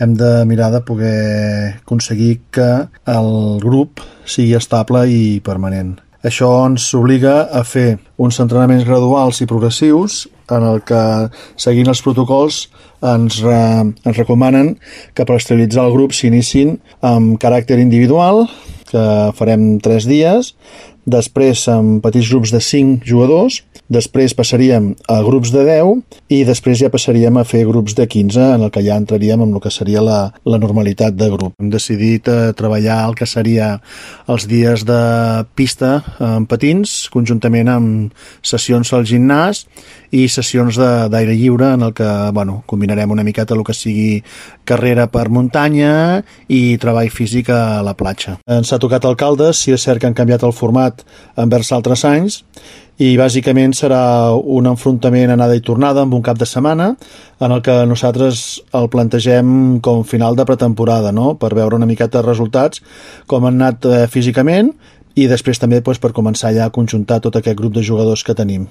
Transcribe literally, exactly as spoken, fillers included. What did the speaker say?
hem de mirar de poder aconseguir que el grup sigui estable i permanent. Això ens obliga a fer uns entrenaments graduals i progressius en el que, seguint els protocols, ens, re, ens recomanen que per estabilitzar el grup s'iniciïn amb caràcter individual, que farem tres dies, després amb petits grups de cinc jugadors, després passaríem a grups de deu i després ja passaríem a fer grups de quinze, en el que ja entraríem en el que seria la, la normalitat de grup. Hem decidit eh, treballar el que seria els dies de pista amb patins, conjuntament amb sessions al gimnàs i sessions d'aire lliure en el que bueno, combinarem una miqueta el que sigui carrera per muntanya i treball físic a la platja. Ens ha tocat alcaldes, si és cert que han canviat el format envers altres anys, i bàsicament serà un enfrontament anada i tornada amb un cap de setmana en el que nosaltres el plantegem com final de pretemporada, no? Per veure una miqueta de resultats, com han anat eh, físicament i després també doncs, per començar ja a conjuntar tot aquest grup de jugadors que tenim.